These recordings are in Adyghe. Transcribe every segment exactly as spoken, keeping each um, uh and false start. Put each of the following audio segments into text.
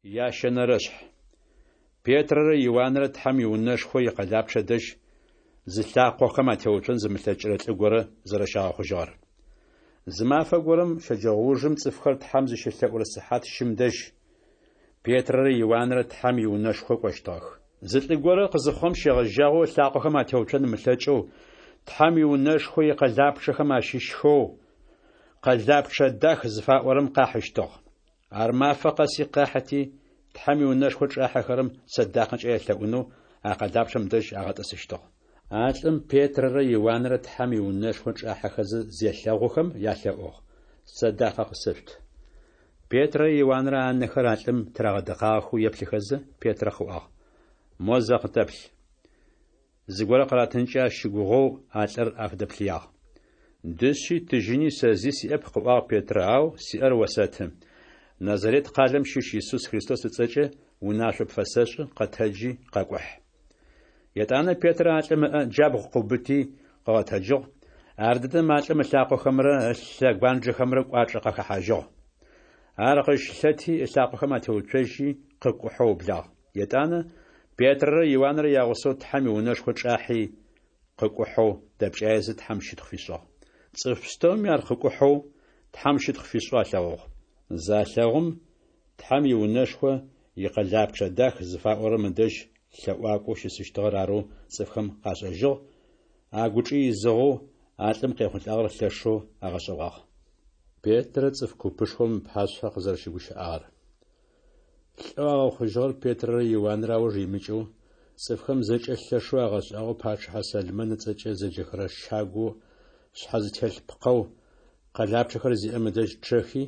Ящэнэрэшъхь. Петрэрэ Иуанрэ Тхьэм иунэшхо икъэлапчъэ дэжь зылъакъохэм атеуцон зымылъэкӏырэ лӏы горэ зэрэщагъэхъужьыгъэр. Зы мафэ горэм, щэджэгъоужым, цӏыфхэр Тхьэм зыщелъэӏурэ сыхьат щым дэжь, Петрэрэ Иуанрэ Тхьэм иунэшхо кӏощтыгъэх. Зы лӏы горэ къызыхъугъэм щегъэжьагъэу ылъакъохэм атеуцон ымылъэкӏэу, Тхьэм иунэшхо икъэлапчъэхэм ащыщхэу «Къэлапчъэ дах» зыфаӏорэм къахьыщтыгъ. Ар мафэ къэси къахьыти, Тхьэм иунэшхо чӏахьэхэрэм сэдакъэкӏэ ялъэӏунэу а къэлапчъэм дэжь агъэтӏысыщтыгъ. А лӏым Петрэрэ Иуанрэ Тхьэм иунэшхо чӏахьэхэзэ зелъэгъухэм ялъэӏугъ: «Сэдакъэ къысэшъут». Петрэрэ Иуанрэ анэхэр а лӏым тырагъэдыкъагъэхэу еплъыхэзэ, Петрэ къыӏуагъ: «Мо зэ къытэплъ». Зыгорэ къыратынкӏэ ащ щыгугъэу а лӏыр афыдэплъыягъ. Дышъи тыжьыни сэ зи сиӏэп, къыӏуагъ Петрэ, ау сиӏэр осэты. Назарет къалэм щыщ Исус Христос ыцӏэкӏэ унашъо пфэсэшӏы, къэтэджи къэкӏухь. Етӏанэ Петрэ а лӏым ыӏэ джабгъу къыубыти къыгъэтэджыгъ, ардэдэм а лӏым ылъакъохэмрэ ылъэгуанджэхэмрэ кӏуачӏэ къахэхьажьыгъ. Ар къыщылъэти ылъакъохэм атеуцожьи къыкӏухьэу ыублагъ. Етӏанэ Петрэрэ Иуанрэ ягъусэу Тхьэм иунэшхо чӏахьи, къыкӏухьэу дэпкӏаезэ Тхьэм щытхъу фишӏыгъ. Цӏыф пстэуми ар къыкӏухьэу, Тхьэм щытхъу фишӏэу алъэгъугъ. Залъэгъум, Тхьэм иунэшхо икъэлапчъэ дах зыфаӏорэм ыдэжь лъэӏуакӏоу щысыщтыгъэр арэу цӏыфхэм къашӏэжьыгъ, агучӏи изыгъэу а лӏым къехъулӏагъэр лъэшэу агъэшӏэгъуагъ. Петрэ цӏыф купышхом ыпашъхьэ къызэрэщыгущыӏагъэр. Лӏэу агъэхъужьыгъэр Петрэрэ Иуанрэ ауж имыкӏэу, цӏыфхэм зэкӏэ лъэшэу агъэшӏагъоу пачъыхьэ Сэлмэн ыцӏэкӏэ зэджэхэрэ щагоу шъхьэ зытелъ пкъэу къэлапчъэхэр зиӏэм ыдэжь чъэхи,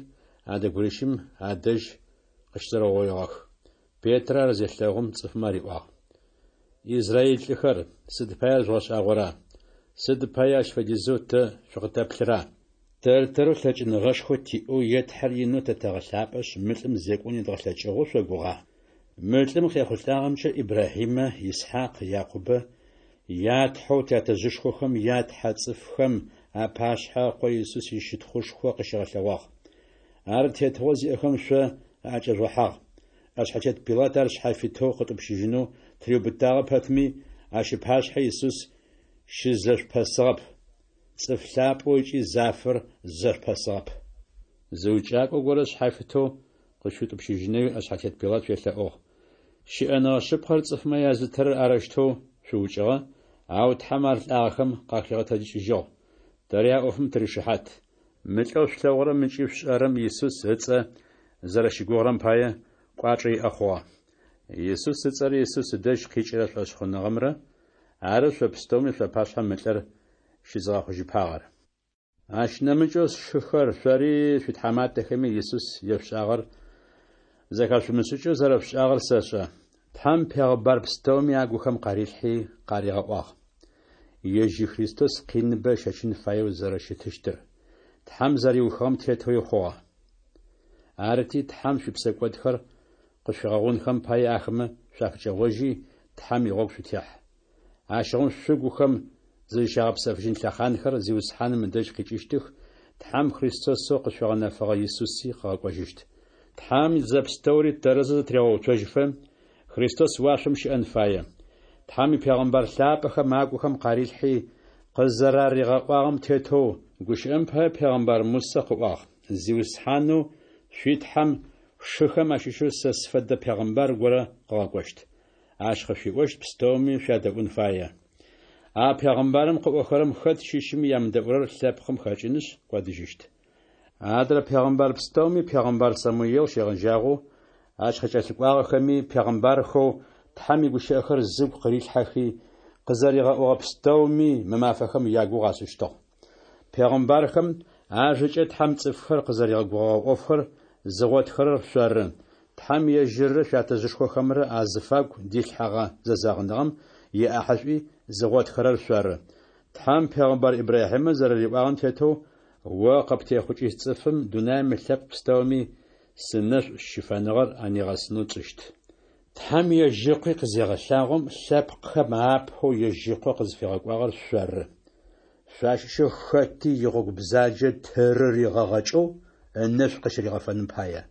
адэгурищым адэжь къыщызэрэугъоигъэх. Петрэ ар зелъэгъум цӏыфмэ ариӏуагъ: «Израиль лӏыхэр, сыд пае жъугъэшӏагъора? Сыд пае ащ фэдизэу тэ шъукъытэплъыра? Тэр-тэрэу лъэкӏыныгъэшхо тиӏэу е Тхьэр инэу тэ тэгъэлъапӏэшъ, мы лӏым зекӏон едгъэлъэкӏыгъэу шъогугъа? Мы лӏым къехъулӏагъэмкӏэ Ибрахьимэ, Исхьакъ, Якъубэ я Тхьэу тятэжъышхохэм я Тхьэ цӏыфхэм апашъхьэ Ыкъо Исус ищытхъушхо къыщигъэлъэгъуагъ. Ар тетыгъо зиӏэхэм шъо аӏэкӏэжъугъэхьагъ. Ӏэшъхьэтет Пилат ар шъхьафитэу къытӏупщыжьынэу тыриубытагъэ пэтми, ащ ыпашъхьэ Исус щызэшъупэсыгъэп. Цӏыф лъапӏэу ыкӏи зафэр зэшъупэсыгъэп. Зы укӏакӏо горэ шъхьафитэу къышъуитӏупщыжьынэуи ӏэшъхьэтет Пилат шъуелъэӏугъ. Щыӏэныгъэ шъыпкъэр цӏыфмэ язытырэр арэущтэу шъуукӏыгъэ, ау Тхьэм ар лӏагъэхэм къахигъэтэджыкӏыжьыгъ. Тэри а ӏофым тыришыхьат. Мы лӏэу шъулъэгъурэм ыкӏи шъушӏэрэм Исус ыцӏэ зэрэщыгугъырэм пае кӏуачӏэ иӏэ хъугъэ. Исус ыцӏэрэ Исус ыдэжь къикӏырэ шӏошъхъуныгъэмрэ ары шъо пстэуми шъуапашъхьэ мы лӏыр щызыгъэхъужьыпагъэр. Ащ нэмыкӏэу, сшыхэр, шъори шъуитхьаматэхэми Исус ешъушӏагъэр зэхэшъумышӏыкӏэу зэрэшъушӏагъэр сэшӏэ. Тхьэм пегъыбар пстэуми агухэм къарилъхьи къаригъэӏуагъ. Ежь Христос къиныбэ ыщэчын фаеу зэрэщытыщтыр, Тхьэм зэриухыгъэм тетэуи хъугъэ. Арыти, Тхьэм шъуипсэкӏодхэр къышъуфигъэгъунхэм пае ахэмэ шъуафыкӏэгъожьи, Тхьэм игъогу шъутехь. Ащыгъум шъугухэм зызщагъэпсэфыжьын лъэхъанхэр Зиусхьаным ыдэжь къикӏыщтых, Тхьэм Христосэу къышъуфигъэнэфэгъэ Исуси къыгъэкӏожьыщт. Тхьэм зэпстэури тэрэзэу зэтырегъэуцожьыфэ, Христос уашъом щыӏэн фае. Тхьэм ипегъэмбар лъапӏэхэм агухэм къарилъхьи, къызэраригъэӏуагъэм тетэу, гущыӏэм пае пегъэмбар Мусэ къыӏуагъ: «Зиусхьанэу шъуи Тхьэм шъушыхэм ащыщэу сэ сфэдэ пегъэмбар горэ къыгъэкӏощт. Ащ къышъуиӏощт пстэуми шъуядэӏун фае. А пегъэмбарым къыӏохэрэм хэт щыщми ямыдэӏурэр лъэпкъым хэкӏынышъ кӏодыжьыщт». Адрэ пегъэмбар пстэуми пегъэмбар Самуел щегъэжьагъэу ащ къыкӏэлъыкӏуагъэхэми пегъэмбархэу Тхьэм игущыӏэхэр зыгу къырилъхьэхи къызэригъэӏогъэ пстэуми мы мафэхэм ягугъу ашӏыщтыгъ. Пегъэмбархэм ажэкӏэ Тхьэм цӏыфхэр къызэригъэгугъэгъэ ӏофхэр зыгъотхэрэр шъоры, Тхьэм ежьыррэ шъуятэжъышхохэмрэ азыфагу дилъхьэгъэ зэзэгъыныгъэм иӏахьышӏуи зыгъотхэрэр шъоры. Тхьэм пегъэмбар Ибрахьимэ зэрэриӏуагъэм тетэу, о къыптехъукӏыщт цӏыфым дунаим ылъэпкъ пстэуми сынэшӏу щыфэныгъэр анигъэсынэу тшӏыщт. Тхьэм ежь Ыкъуи къызегъэлъагъом, лъэпкъхэм апэу ежь Ыкъо къызфигъэкӏуагъэр шъоры. Шъуащыщэу хэти игъогу бзаджэ тырыригъэгъэкӏэу ынэшӏу къыщыригъэфэным пае.